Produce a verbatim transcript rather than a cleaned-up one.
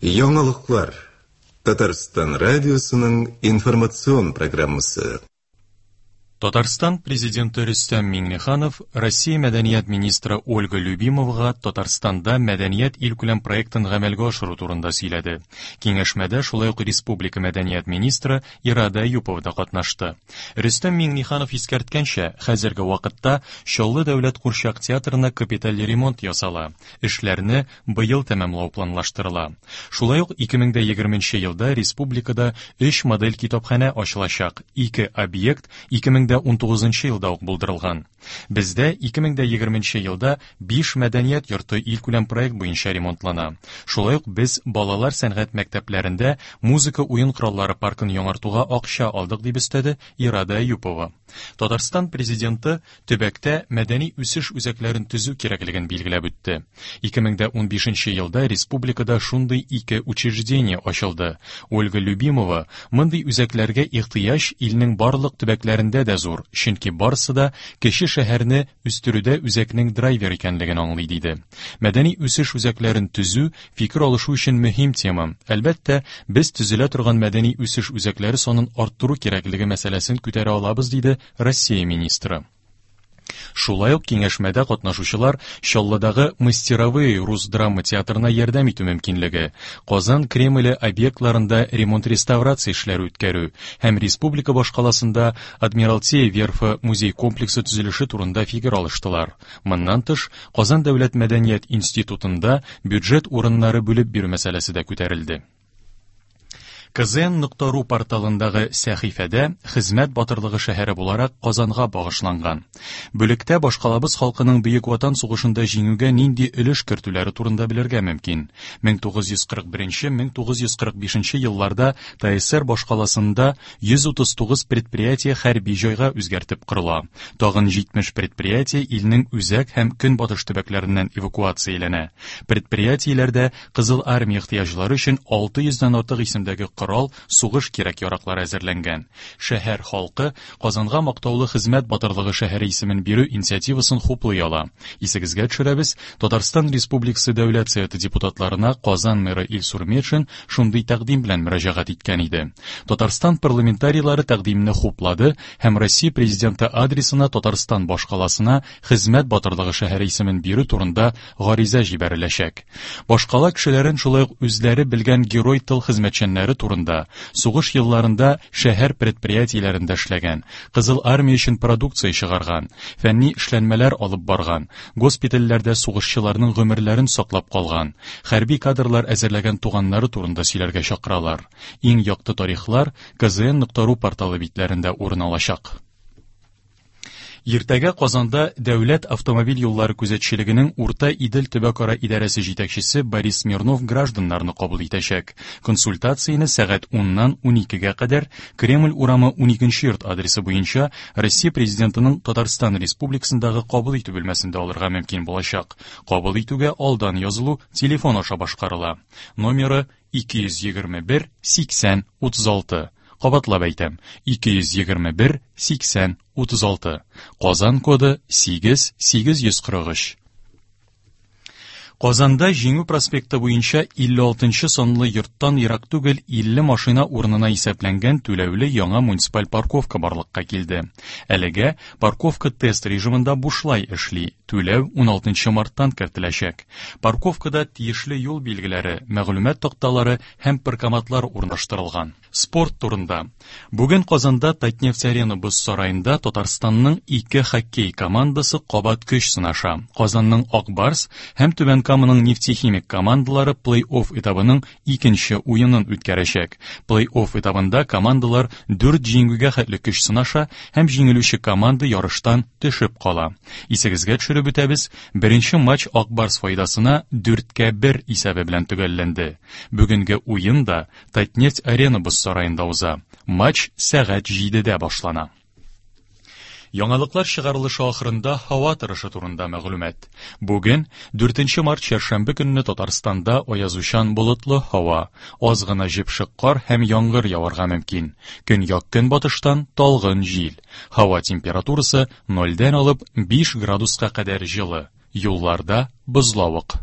Яңалыклар. Татарстан радиосының информацион программасы. Татарстан президенты Рөстәм Миңнеханов Россия мәдәният министры Ольга Любимовага Татарстанда мәдәният илкүләм проектын гамәлгә ашыру турында сөйләде. Киңәшмәдә шулай ук республика мәдәният министры Ирада Әюпова да катнашты. Рөстәм Миңнеханов искәрткәнчә, хәзерге вакытта Чаллы дәүләт курчак театрына капиталь ремонт ясала. Эшләрне быел тәмамлау планлаштырыла. Шулай ук ике мең егерменче елда республикада өч модель китапханә ачылачак. Ике объект ике мең ун тугызынчы елда ук булдырылган. Бездә ике мең егерменче елда биш мәдәният йорты илкүләм проект буенча ремонтлана. Шулай ук без балалар сәнгать мәктәпләрендә музыка уен кораллары паркын яңартуга акча алдык, дип өстәде Ирада Әюпова. Татарстан президенты төбәктә мәдәни үсеш үзәкләрен төзү кирәклеген билгеләп үтте. Ике мең унбишенче елда республикада шундый ике учреждение ачылды. Ольга Любимова мондый үзәкләргә ихтыяҗ илнең барлык төбәкләрендә дә зур, чөнки барысы да кече шәһәрне үстерүдә үзәкнең драйвер икәнлеген аңлый, диде. Мәдәни үсеш үзәкләрен төзү фикер алышу өчен мөһим тема. Әлбәттә, без төзелә торган мәдәни үсеш үзәкләре санын арттыру кирәклеге мәсьәләсен күтәрә алабыз, диде Россия министры. Шулай ук киңәшмәдә катнашучылар Чаллыдагы Мастеровые рус драма театрына ярдәм итү мөмкинлеге, Казан Кремле объектларында ремонт-реставрация эшләре үткәрү һәм республика башкаласында Адмиралтей верфы музей комплексы төзелеше турында фикер алыштылар. Моннан тыш, Казан дәүләт мәдәният институтында бюджет урыннары бүлеп бирү мәсьәләсе дә күтәрелде. К З Н нокта ру порталындагы сәхифәдә хезмәт батырлыгы шәһәре буларак Казанга багышланган. Бүлектә башкалабыз халкының Бөек Ватан сугышында җиңүгә нинди өлеш кертүләре турында белергә мөмкин. Мең тугыз йөз кырык беренче, мең тугыз йөз кырык бишенче елларда Т С Р башкаласында йөз утыз тугыз предприятие хәрби җайга үзгәртеп корыла. Тагын җитмеш предприятие илнең үзәк һәм көнбатыш төбәкләреннән эвакуацияләнә. Предприятиеләрдә Кызыл армия ихтыяҗлары өчен алты йөздән артык исемдәге корал, сугыш кирәк-яраклары әзерләнгән. Шәһәр халкы Казанга мактаулы хезмәт батырлыгы шәһәре исемен бирү инициативасын хуплый ала. Исегезгә төшерәбез, Татарстан Республикасы Дәүләт Советы депутатларына Казан мэры Илсур Метшин шундый тәкъдим белән мөрәҗәгать иткән иде. Татарстан парламентарийлары тәкъдимне хуплады һәм Россия президенты адресына Татарстан башкаласына хезмәт батырлыгы шәһәре исемен бирү турында гариза җибәреләчәк. Башкала кешеләрен шулай ук үзләре белгән герой тыл хезмәтчәннәре турында, сугыш елларында шәһәр предприятиеләрендә эшләгән, Кызыл армия өчен продукция чыгарган, фәнни эшләнмәләр алып барган, госпитальләрдә сугышчыларның гомерләрен саклап калган, хәрби кадрлар әзерләгән туганнары турында сөйләргә чакыралар. Иң якты тарихлар К З Н нокта ру порталы битләрендә урын алачак. Иртәгә Казанда Дәүләт автомобиль юллары күзәтчелегенең Урта Идел төбәкара идарәсе җитәкчесе Борис Смирнов гражданнарны кабул итәчәк. Консультацияне сәгать уннан уникегә кадәр Кремль урамы уникенче йорт адресы буенча Россия президентының Татарстан Республикасындагы кабул итү бүлмәсендә алырга мөмкин булачак. Кабул итүгә алдан язылу телефон аша башкарыла. Номеры ике йөз егерме бер сиксән утыз алты. Кабатлап әйтәм, ике йөз егерме бер сиксән утыз алты. Казан коды сигез сигез йөз кырык өч. Казанда Җиңү проспекты буенча илле алтынчы санлы йорттан ерак түгел илле машина урынына исәпләнгән түләүле яңа муниципаль парковка барлыкка килде. Әлегә парковка тест режимында бушлай эшли. Түләү уналтынчы марттан кертеләчәк. Парковкада тиешле юл билгеләре, мәгълүмат такталары һәм паркоматлар урнаштырылган. Спорт турында. Бүген Казанда Татнефть Арена боз сараенда Татарстанның ике хоккей командасы кабат көч сынаша. Казанның Ак Барс һәм Түбән Каманың Нефтехимик командалары плей-офф этабының икенче уенын үткәрәчәк. Плей-офф этабында командалар дүрт җиңүгә хәтле көч сынаша һәм җиңелүче команда ярыштан төшеп кала. Исегезгә төшереп үтәбез, беренче матч Ак Барс файдасына дүрткә бер исәбе белән төгәлләнде. Бүгенге уен да Татнефть Арена боз сараенда уза. Матч сәгать җидедә башлана. Яңалыклар чыгарылышы ахырында һава торышы турында мәгълүмат. Бүген дүртенче март чәршәмбе көнне Татарстанда аязучан болытлы һава, аз гына җепшек кар һәм яңгыр яварга мөмкин. Көньяк көнбатыштан талгын җил. Һава температурасы нольдән алып биш градуска кадәр җылы. Юлларда бозлавык.